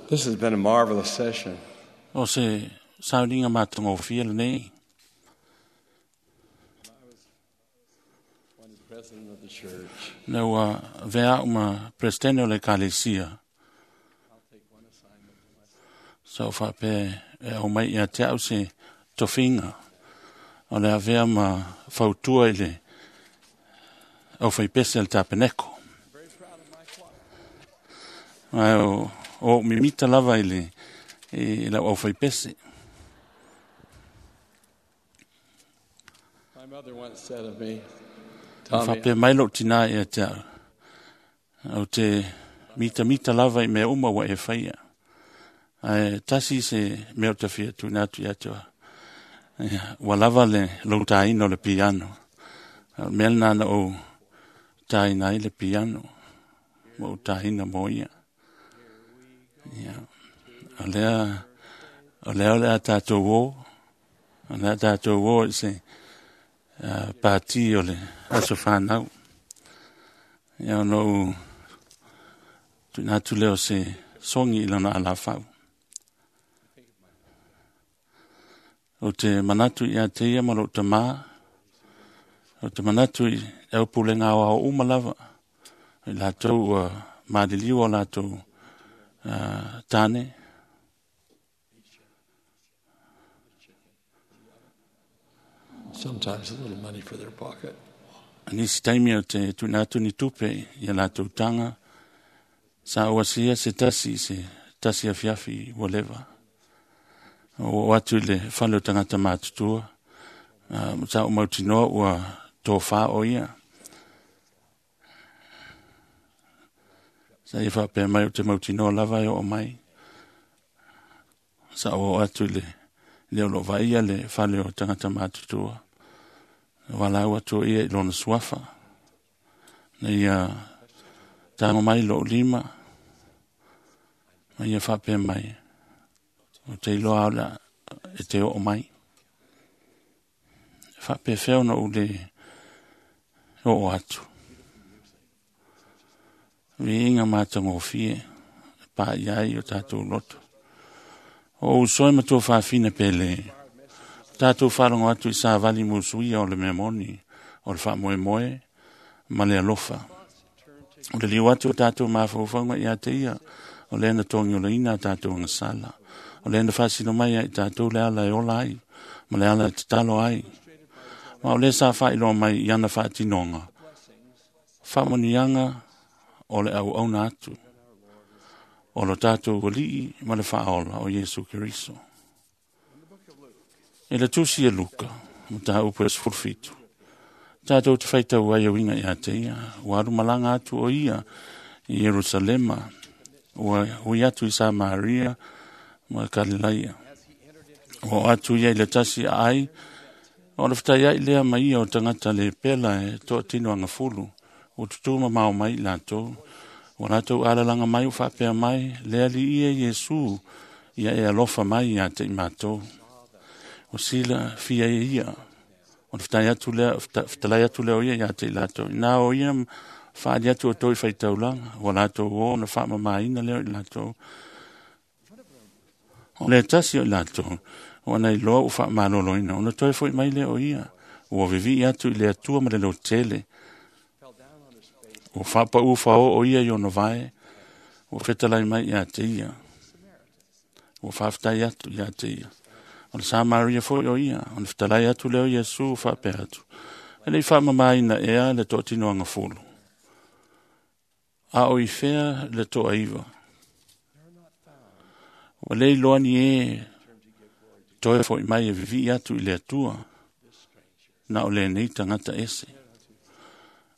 This has been a marvelous session. O se sauniga matagofie lenei. When president of the church, Na ua avea a'u ma Peresetene o le Ekalesia. Sa ou faapea e aumai ia te a'u se tofiga o le avea ma fautua i le aufaipese a le Tapeneko. Ae o o'u mimita lava i le i lau aufaipese. My mother once said of me, Na Tommy, faapea mai lou tinā ia te a'u, ou te mitamita lava i mea uma ua e faia. Ae tasi se mea ou te fia tuuina atu ia te oe. Ia, ua lava le lou tāina o le piano. O le mea lenā na ou tāina ai le piano, ma ou tāina mo ia. Ia, o lea, o lea o le a tātou o, o le a tātou o i se pātī o le aso whānau. Ia, ona ou tuuina atu lea o se sogi i lona alafau. Ou te manatu ia te ia ma lou tamā, ou te manatu i le aupulega aoao uma lava, i latou ua maliliu o latou tāne. Sometimes a little money for their pocket. Nisi taimi o te tuuina atu ni tupe i a latou taga, sa ou asia se tasi i se tasi afiafi ua leva. Ua oo atu i le fale o tagata matutua, sa ou mautinoa ua tofā o ia. Sa ia faapea mai ou te mautinoa lava e oo mai. Sa ou oo atu i le le o loo vaaia le fale o tagata matutua. Valaau atu o ia i lona suafa. Na ia tago mai lou lima, ma ia faapea mai, ou te iloa o le e te oo mai. E faapefea ona ou le oo atu. Viiga matagofie e paia ai o tatou loto. O uso e ma tuafafine pele. Tatou faalogo atu i savali musuia o le mea moni, o le faamoemoe ma le alofa. O le liu atu o tatou mafaufauga ia te ia, o lea na togiolaina a tatou agasala. O lea na faasino mai ai tatou le ala e ola ai, ma le ala e tatalo ai. Ma o lea sa faailoa mai i ana faatinoga, faamanuiaga o le auauna atu, o lo tatou Alii ma le Faaola o Iesu Keriso. I le tusi e Luka, mataupu e 17, tatou te faitau ai e uiga ia te ia, ua alu malaga atu o ia i Ierusalema, ua ui atu i Samaria ma Kalilaia. Ua oo atu ia i le tasi aai, o le fetaiai lea ma ia o tagata le pela e toatino agafulu, ua tutū mamao mai i latou. Ua latou alalaga mai ua faapea mai, le Alii e Iesu, ia e alofa mai ia te i matou. Ua silafia e ia, o le fetalai atu lea, fetalai atu lea o ia ia te i latou. Ina o ia faali atu o toi faitaulaga, ua latou o na faamamaina lea o i latou. O le tasi o i latou, ua na iloa ua faamaloloina, ona toe foi mai lea o ia, ua vivii atu i le Atua ma le lotele. Ua faapau fao o ia i ona vae, ua fetalai mai ia te ia. Ua faafetai atu ia te ia. O le Samaria foi o ia, ona fetalai atu lea o Iesu faapea atu. E le i faamamaina ea le toatino agafulu. A o i fea le toaiva. Ua le iloa ni e toe foi mai e vivii atu i le Atua, na o lenei tagata ese.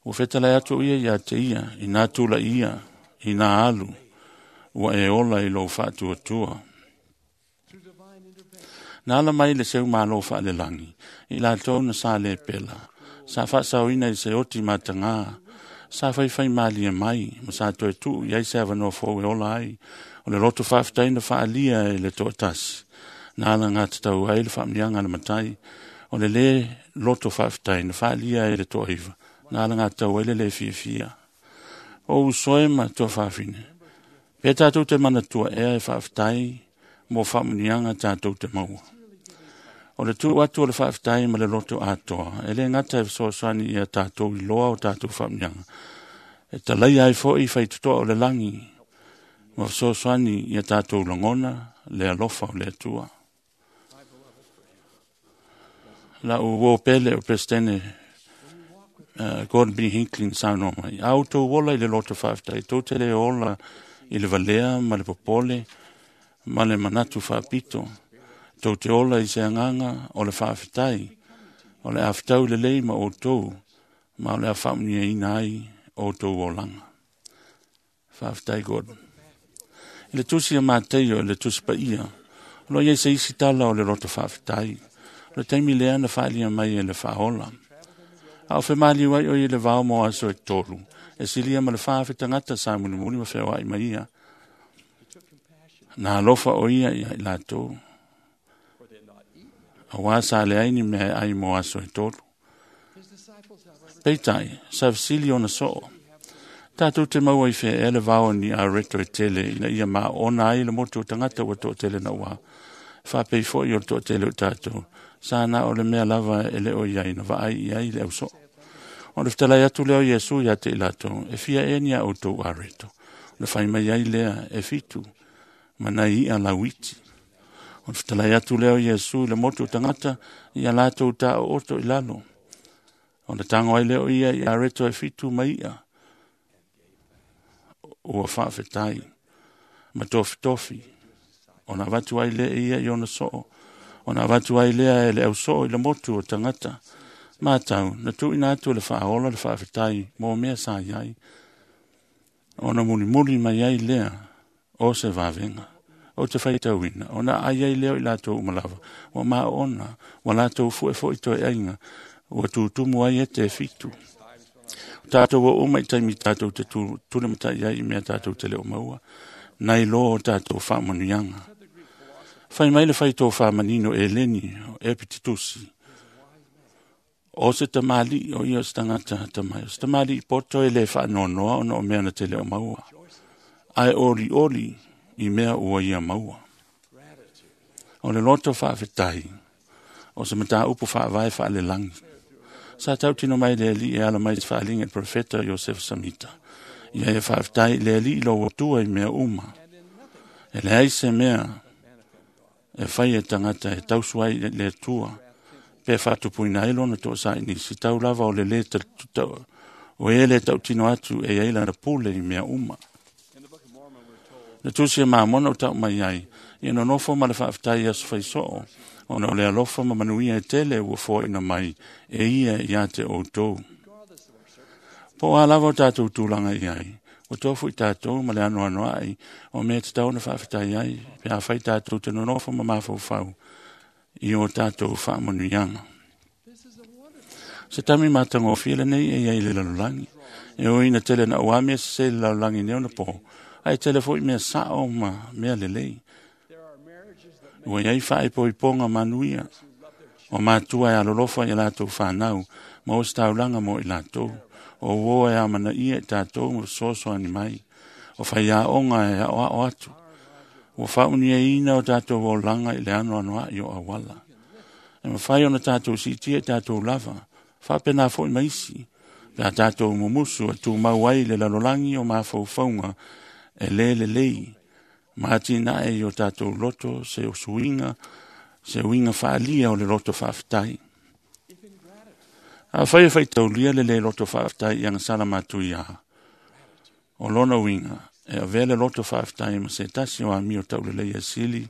Ua fetalai atu ia ia te ia, ina tula'i ia, ina alu, ua e ola i lou faatuatua. Na ala mai le seu malo faalelagi, i latou na sa lepela, sa faasaoina i se oti matagā, sa faifai malie mai, ma sa toe tuu i ai se avanoa fou e ola ai, o le loto faafetai na faaalia e le toatasi. Na alagatatau ai le faamanuiaga a le Matai, o le lē loto faafetai na faaalia e le toaiva, na alagatatau ai le lē fiafia. O uso e ma tuafafine, Pe tātou te manatua ea e faafetai mo faamuniaga tātou te maua. O le tuu atu o le faafetai ma le loto atoa, e le gata e fesoasoani ia tātou i loa o tātou faamuniaga. E talaia ai foi faitotoa o le lagi, ma fesoasoani ia tātou lagona le alofa o le Atua. La u o pele o Presidente Gordon B. Hinckley saunoa mai. A outou ola i le loto faafetai, tou te le ola i le valea ma le popole ma le manatu faapito. Tou te ola i se agaga o le faafetai, o le afetau lelei ma outou, ma o le a faamuniaina ai outou olaga. Faafetai Gordon. I le tusi a Mateio i le tusi paia, o lo o i ai se isi tala o le loto faafetai. O le taimi lea na faalia mai e le faaola. A o femaliu ai o i le vao mo aso e 3, e silia ma le 4,000 tagata sa mulimuli ma feoai mai ia. Na alofa o ia ia i latou. Aua sa leai ni mea e ai mo aso e 3. Peitai, sa fesili ona soo. Tātou te maua i whea e le vao ni a reto e tele ina ia maona ai le motu o tangata ua toatele na ua. Whapei foi o toatele o tātou. Sa na o le mea lava e le o iai na vaai i ai le au soo. O le fetalai atu leo Iesu ia te i latou, e fia e ni a outou a reto. O le whai mai ai lea e 7, manai ia lauiti. O le fetalai atu leo Iesu i le motu o tangata ia latou tā o oto i lalo. O le tango ai leo ia i a reto e 7 mai ia. Ua faafetai ma tofitofi. Ona avatu ai lea ia i ona soo. Ona avatu ai lea e le au soo i le motu o tangata. Mātau, na tuuina atu le faaola le faafetai mo mea sa i ai. Ona mulimuli mai ai lea o se vavenga. O te whaitauina, ona ai ai leo i latou umalava. Ua maona, ua latou fue foi toe aiga, ua tutumu ai e te 7. Tātou o uma i taimi tātou te tule matai ai i mea tātou te leo maua, nai loa o tātou faamanuiaga. Whai mai le whai tō whāmanino e leni o Epititusi. O se tamali o ia o se tangata tamai. O se tamali i poto e le whaanonoa ona o mea na te leo maua. Ai oli oli i mea ua ia maua. O le loto faafetai, o se mata upu faavae faalelangi. Sa tautino mai le ali e ala mai te whaalinga i profeta Joseph Samita. Ia e faafetai le ali i lo atua i mea uma. E leai se mea e whai e tangata e tausu ai le atua. Pe whaatupuina ai lona toa sa inisi tau lava o le le o e le tautino atu e ai lana pule i mea uma. Le tusi e maamona o tau mai ai, ia nonofo ma le faafetai aso faisoo, ona o le alofa ma manuia e tele ua foaina mai e ia ia te outou. Po a lava o tātou tūlanga i ai, o tofu i tātou ma le anoano ai, o mea te tau na faafetai ai, pe a whai tātou te nonofo ma mafaufau i o tātou faamanuiaga. Se tami matagofie lenei e iai le lalolagi. E o ina tele na ua mea sese le lalolagi nei ona po, ai tele foi mea sao ma mea lelei. Ua iai faaipoipoga manuia, o matua e alolofa i latou whanau, ma o se taulaga mo i latou. O uo e amanaia i tātou ma fesoasoani mai, o faiaoga e aoao atu. Ua faauniaina o tātou olaga i le anoanoai o auala. E mafai ona tātou siitia i tātou lava, faapena foi ma isi, pe a tātou mumusu e tumau ai le lalolagi o mafaufauga e le lelei, ma atinae i o tātou loto se usuiga, se uiga faalia o le loto faafetai. A whai e whaitaulia le le loto faafetai i agasala matui a. O lona uiga, e avea le loto faafetai ma se tasi o amio taulelei e sili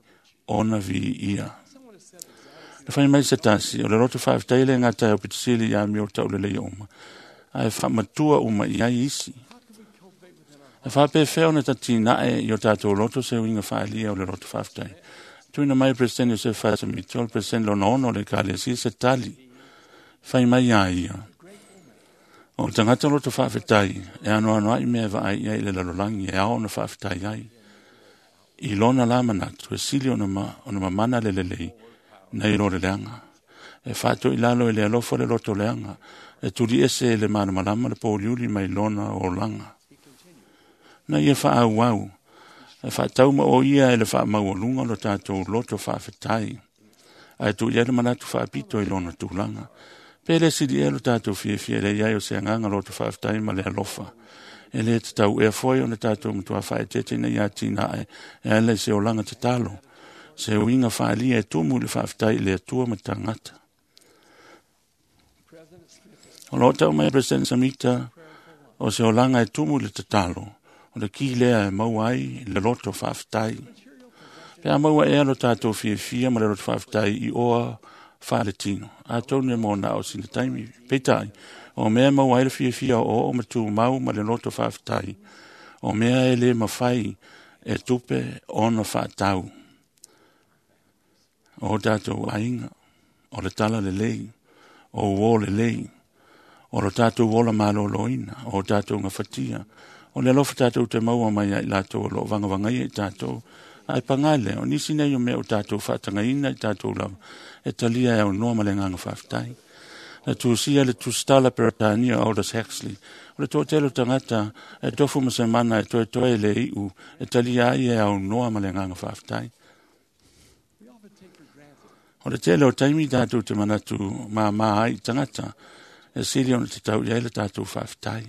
ona vi ia. Le whai mai se tasi, o le loto faafetai le ngata e opitisili i amio taulelei uma, a e whaamatua uma i ai isi. E whapewhea ona tatinae i o tātou loto se uiga faalia o le loto faafetai. Tuina mai President Joseph Fatamito, le President lona ono le Ekalesia se tali. Whai mai a ia. O tangata loto faafetai, e anoano ai mea vaai ia i le lalolagi, e ao ona faafetai ai. I lona la manatu, e sili ona mamana le lelei, nei lo le leaga. E whaatoi lalo e le alofa le loto leaga, e tuli ese e le malamalama le pōliuli mai lona olaga. Na ia whaauau, E faatauma o ia e le faamaualuga lo tatou loto faafetai. Ae tuu i ai le manatu faapito i lona tulaga. Pe le sili ea lo tatou fiafia le i ai o se agaga loto faafetai ma le alofa. E le tatau ea foi ona tatou matua faaeteete ina ia atinae e ala i se olaga tatalo, se uiga faaalia e tumu i le faafetai i le Atua ma tagata. O lo o tau mai President Samita o se olaga e tumu i le tatalo, o le ki lea e maua ai le loto faafetai. Pe a maua ea lo tatou fiafia ma le loto faafetai i oa faaletino, atonu e mo na o sina taimi. Peitai, o mea e maua ai le fiafia o oo ma tumau ma le loto faafetai, o mea e le mafai e tupe ona faatau. O tatou aiga, o le tala lelei, o uo lelei, o lo tatou ola maloloina, o tatou gafatia, o le alofa tatou te maua mai ai latou o lo o vagavagaia i tatou. Ae paga lea, o nisi nei o mea o tatou faatagaina i tatou lava, e talia e aunoa ma le agaga faafetai. Na tusia le tusitala Peretania Aldous Huxley, o le toatele o tagata e tofu ma se mana e toetoe le iu, e talia ai e aunoa ma le agaga faafetai. O le tele o taimi tatou te manatu māmā ai i tagata, e sili ona tatau i ai le tatou faafetai.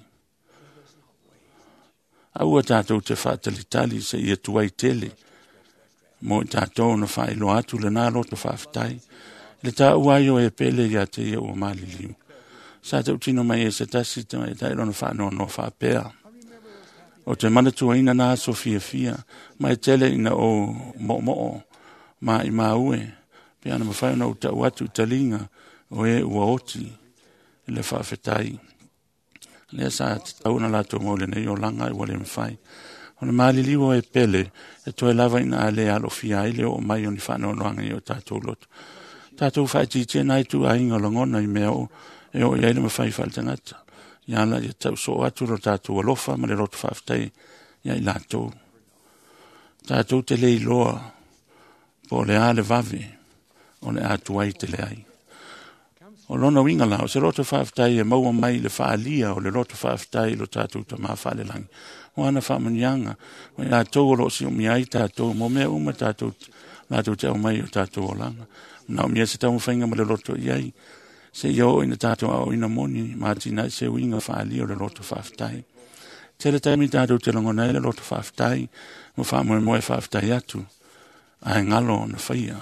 Aua tatou te faatalitali se ia tuai tele, mo i tatou na faailoa atu lena loto faafetai. Le taua ai o e pele ia te ia ua maliliu. Sa tautino mai e se tasi tamaitai lona faanoanoa faapea. O te manatuaina nā aso fiafia, mai tele ina o moomoo ma i maue, pe ana mafai ona ou tau atu i taliga o e ua oti le faafetai. Lea sa tatau ona latou mau lenei olaga ai ua le mafai. O le maliliu o e pele, e toe lava ina a le alofia ai le oo mai o ni faanoanoaga i o tatou loto. Tatou faatitia nai tuaiga o lagona i mea o e oo i ai le mafai faaletagata. Ia ala ia tau soo atu lo tatou alofa ma le loto faafetai ia i latou. Tatou te le iloa po o le a le vave o le a tuai tele ai. O lona uiga la, o se loto faafetai e maua mai le faalia o le loto faafetai i lo tatou Tama faalelagi. O ana faamanuiaga, o i latou o lo o siumia ai tatou, mo mea uma tatou, latou te aumai o tatou olaga. Na umia se taumafaiga ma le loto i ai, se ia oo ina tatou aoina moni, ma atinae se uiga faalia o le loto faafetai. Tele taimi tatou te lagona ai le loto faafetai, ma faamoemoe faafetai atu, ae galo ona faia,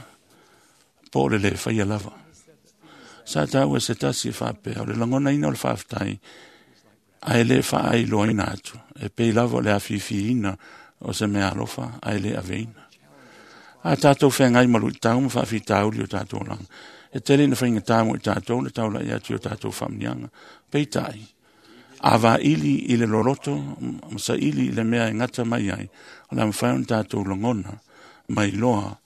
po o le le faia lava. Sa taua se tasi e faapea, o le lagonaina o le faafetai, ae le faailoaina atu, e pei lava o le afifiina o se mea alofa, ae le aveina. A tatou feagai ma luitau ma faafitauli o tatou olaga, e tele ina faigata mo i tatou le taulai atu i o tatou faamanuiaga. Peitai, a vaili i le loloto ma saili i le mea e gata mai ai, o le a mafai ona tatou lagona mai loa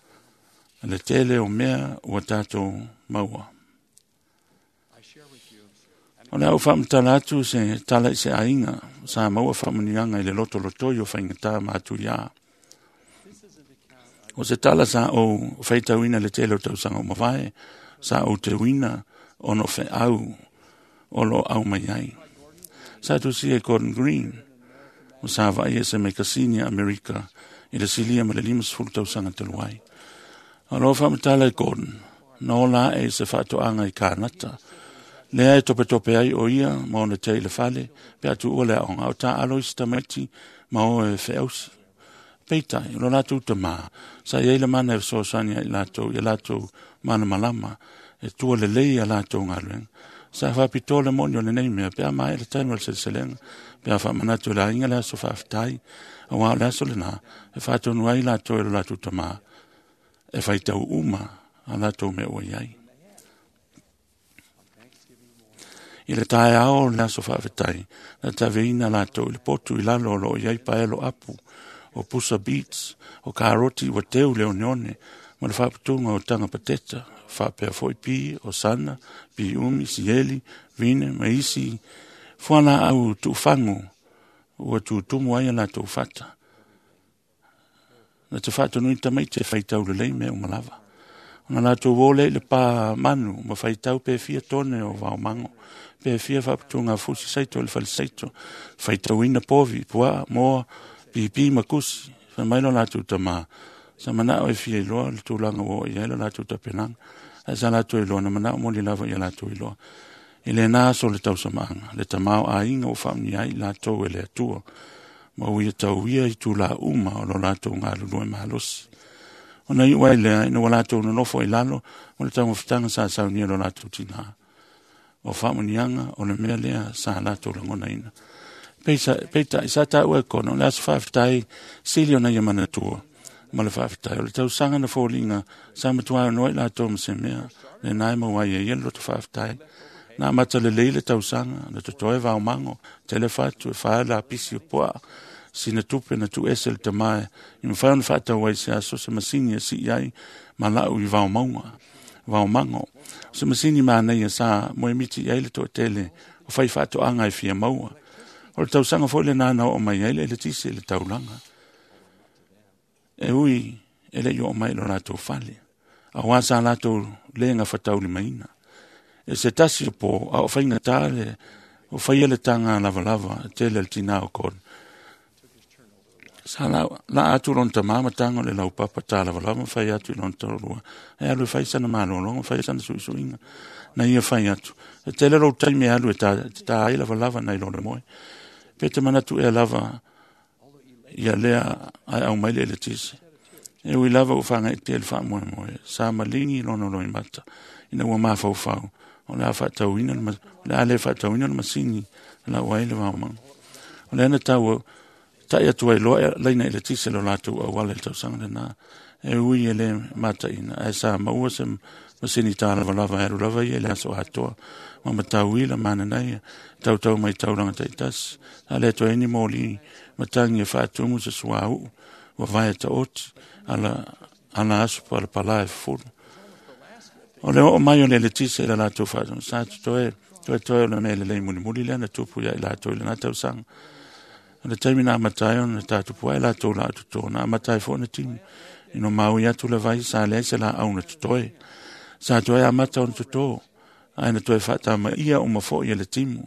le tele o mea ua tatou maua. O le a ou faamatala atu se tala i se aiga sa maua faamanuiaga i le lotolotoi o faigata ma atuiā. O se tala sa ou faitauina le tele o tausaga o mavae, sa ou teuina ona o feau o lo o au mai ai. Sa tusia i Gordon Green, o sa vaai e se mekasini a Amerika i le silia ma le 50 tausaga talu ai. O lo o faamatala i Gordon, na ola ae i se faatoaga i Kanata. Lea e topetope ai o ia ma ona tea i le fale, pe a tuua le aoga, o taalo i se tamaiti ma o e feausi. Peitai, o lo latou tamā, sa i ai le mana e fesoasoani ai latou ia latou malamalama, e tua lelei a latou galuega. Sa faapitoa le moni o lenei mea, pe a maea le taimi o le seleselega, pe a faamanatu e le aiga le aso faafetai, auā o le aso lenā, e faatonu ai latou e lo latou tamā, e faitau uma a latou mea ua i ai. I le taeao o le aso faafetai, na taveina latou i le potu i lalo o lo o i ai paelo apu, o pusa beets, o karoti ua teu le oneone, ma le faaputuga o taga pateta, faapea foi pi, o sana, pi umi, sieli, vine, ma isi fualaau tuufagu ua tutumu ai a latou fata. Na te faatonui tamaiti e faitau lelei mea uma lava. Ona latou o lea i le pā manu ma faitau pe fia tone o vaomago, pe fia faaputuga fusi saito i le fale saito, faitauina povi, puaa, moa, pipi ma kusi, Fai mai lo latou tamā, sa manao e fia iloa le tulaga ua oo i ai le latou tapenaga. Ae sa latou iloa na manao moli lava ia latou iloa. I lena aso o le tausamaaga, le tamā o aiga ua faaunia ai latou e le Atua, ma ua ia tauia i tula uma o lo latou galulue malosi. Ona iu ai lea, ina ua latou nonofo i lalo o le taumafataga sa saunia lo latou tinā. O faamuniaga o le mea lea sa latou lagonaina. Peitai, sa taua e Kona, o le aso faafetai sili ona ia manatua ma le faafetai. O le tausaga na foliga sa matua ono ai latou ma se mea, lena e maua ai e ia le loto faafetai. Na amata lelei le tausaga, na totoe vaomago, tele fatu e fa lapisi o puaa, sina tupe na tuuese le tamā i mafai ona faatau ai se aso se masini e sii ai ma lau i vaomauga, vaomago. O se masini manaia sa moemiti i ai le toatele o fai faatoaga e fia maua. O le tausaga foi lena na oo mai ai le eletise i le taulaga. E ui e le i oo mai i lo latou fale, auā sa latou le gafataulimaina. E se tasi o po, a o faigata le o faia le taga lavalava tele a le tinā o Gordon. Sa laa atu lona tamā ma taga o le laupapa talavalava ma fai atu i lona toalua, e alu e fai sana malologa, fai sana suisuiga. Na ia fai atu, e tele lou taimi e alu e ta ai lavalava nai lo le moe. Pe te manatu ea lava ia lea ae au mai le eletise. E ui lava ua fagaetea le faamoemoe, sa maligi lona loimata ina ua mafaufau, o le a faatauina le o le a le faatauina le masini lau ai le vaomago. O lea na tau tai atu ai loa laina eletise lo latou auala i le tausaga lena. E ui e le mataina, ae sa maua se masini talavalava e alu lava ia i le aso atoa. Ma matauila mananaia, tautau mai taulaga taitasi. Sa le toe ni moli matagi e faatumu se suauu, vavae taoti, ala, ala aso palapala e fufulu. O le oo mai o le eletise i le latou faatonuga, sa totoe toetoe o le mea lelei mulimuli lea na tupu ia i latou i lena tausaga. O le taimi na amata ai ona tatupu ai latou laau toto, na amata ai foi ona timu. Ina maui atu le vai, sa leai se laau na totoe. Sa toe amata ona toto, ae na toe faatamaia uma foi e le timu.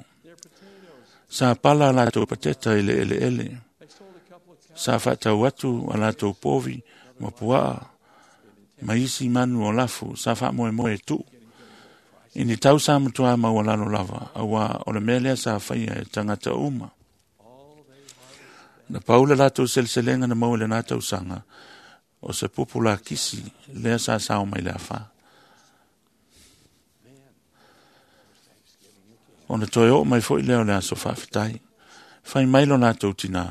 Sa pala a latou pateta i le eleele. Sa faatau atu a latou povi ma puaa ma isi manu o lafu sa faamoemoe e tuu. I ni tau sa matua maualalo lava, auā o le mea lea sa faia e tagata uma. Na pau le latou seleselega na maua i lena tausaga, o se pupu lakisi lea sa sao mai le afa. Ona toe oo mai foi lea o le aso faafetai. Fai mai lo latou tinā,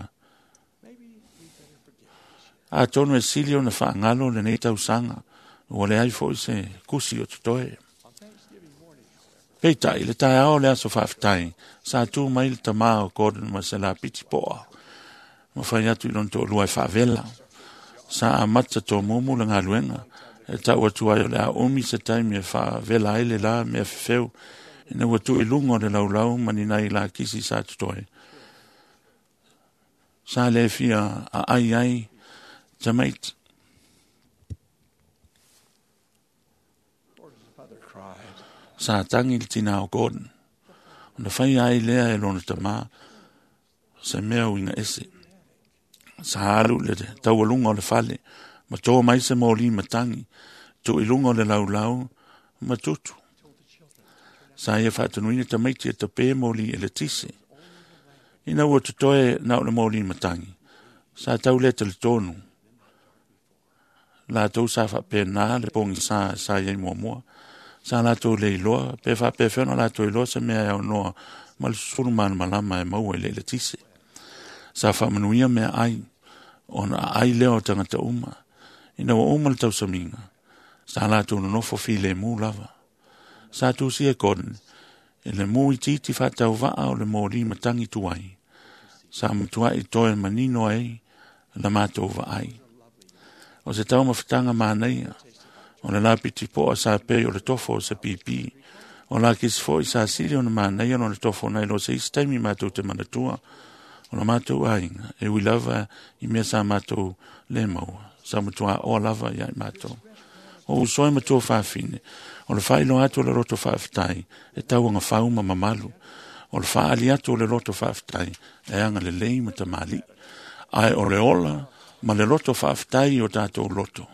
atonu e sili ona faagalo lenei tausaga, ua leai foi se kusi o totoe. Peitai, le taeao o le aso faafetai, sa tu mai le tamā o Gordon ma se lapiti poa, ma fai atu i lona toalua e faavela. Sa amata tomumu le galuega, e tau atu ai o le a umi se taimi e faavela ai le la mea fefeu, ina ua tuu i luga o le laulau ma ni nai lakisi sa totoe. Sa le fia aai ai tamaiti. Gordon's mother cried. Sa tangi le tinā o Gordon. Ona fai ai lea e lona tamā se mea uiga ese. Sa alu le taualuga o le fale, ma tō mai se moli matangi, tuu i luga o le laulau ma tutu. Sa ia faatonuina tamaiti e tapē moli eletise. Ina ua totoe na o le moli matangi, sa tau le talitonu. Latou sa faapena le pogisa sa iai muamua. Sa latou le iloa, pe faapefea ona latou iloa se mea e aunoa ma le susulu malamalama e maua i le eletise. Sa faamanuia mea ai, ona aai lea o tagata uma. Ina ua uma le tausamiga, sa latou nonofo filemu lava. Sa tusia e Gordon, i le mu itiiti faatauvaa o le moli matangi tuai. Sa matuai toe manino ai la matou vaai. O se taumafataga manaia, o le lapiti poa sa pei o le tofo o se pipi. O lakisi foi sa sili ona manaia lona tofo nai lo se isi taimi matou te manatua o la matou aiga, e ui lava i mea sa matou le maua, sa matua oa lava ia i matou. O uso e matua faafine, o le faailoa atu o le loto faafetai e tauagafau ma mamalu, o le faaali atu o le loto faafetai e agalelei ma tamalii. Ae o le ola Ma le loto faafetai o tatou loto,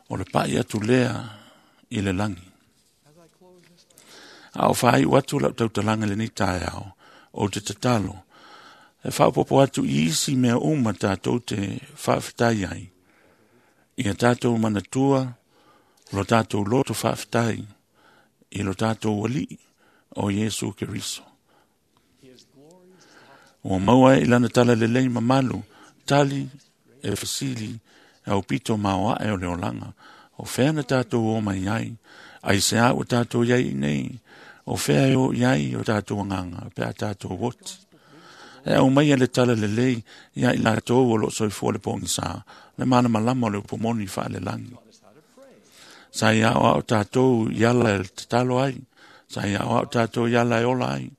o le pai atu lea i le lagi. A o faaiu atu lau tautalaga lenei taeao, ou te tatalo, e faaopoopo atu i isi mea uma tatou te faafetai ai, ia tatou manatua lo tatou loto faafetai i lo tatou Alii o Iesu Keriso. Ua maua ai i lana talalelei mamalu, tali e fesili e aupito maoae o le olaga. O fea na tatou o mai ai, ai se a ua tatou iai nei, o fea e o iai o tatou agaga pe a tatou oti. E au mai le talalelei ia i latou o lo soifua le pogisa, le malamalama o le upumoni faalelagi. Sa ia aoao tatou i ala e tatalo ai, sa ia aoao tatou i ala e ola ai,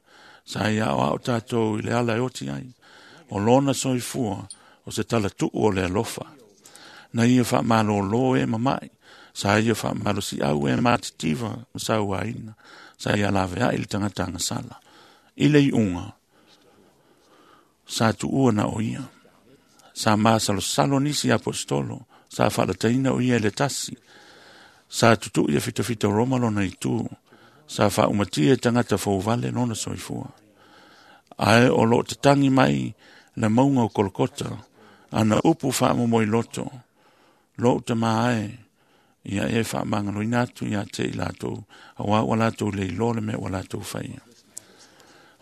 sa ia aoao tatou i le ala e oti ai. O lona soifua o se talatuu o le alofa. Na ia faamalōlō e mama'i, sa ia faamalosiau e matitiva ma sauaina, sa ia laveai le tagata agasala. I le iuga, sa tuua na o ia. Sa masalosalo nisi aposetolo, sa faalataina o ia i le tasi. Sa tutu'i e fitafita o Roma lona itu, sa faaumatia e tagata fouvale lona soifua. Ae o loo tatagi mai le mauga o Kolokota, ana upu faamomoi loto, lou tamā e, ia e faamagaloina atu ia te i latou, auā ua latou le iloa le mea ua latou faia.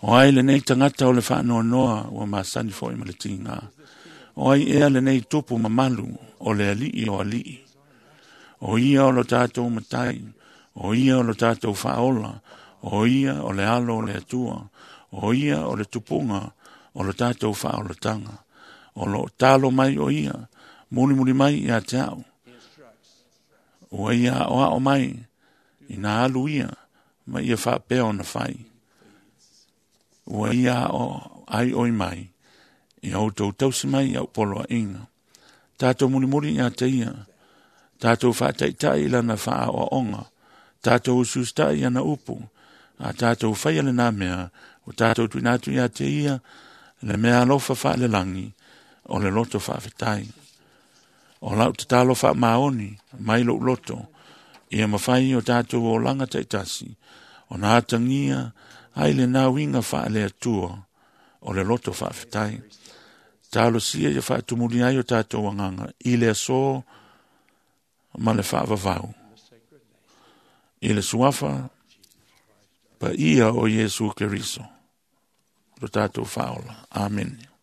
O ai lenei tagata o le faanoanoa ua masani foi ma le tiga. O ai ea lenei tupu mamalu o le alii o alii. O ia o lo tatou matai, o ia o lo tatou faaola, o ia o le alo o le Atua, o ia o le tupuga o lo tatou faaolataga. O lo talo mai o ia, mulimuli mai ia te au. Ua ia aoao mai, ina alu ia, ma ia faapea ona fai. Ua ia ao ai oi mai, ia outou tausi mai i au poloaiga. Tatou mulimuli ia te ia, tatou faataitai i lana faaoaoga, tatou usiusitai i ana upu, a tatou faia lena mea, o tatou tuuina atu ia te ia, le mea alofa faalelagi, o le loto faafetai. O lau tatalo faamaoni mai lou loto, ia mafai o tatou olaga taitasi, ona atagia ai lena uiga faale-Atua o le loto faafetai. Talosia ia faatumuli ai o tatou agaga i le aso ma le faavavau. I le suafa paia o Iesu Keriso, lo tatou faaola. Amene.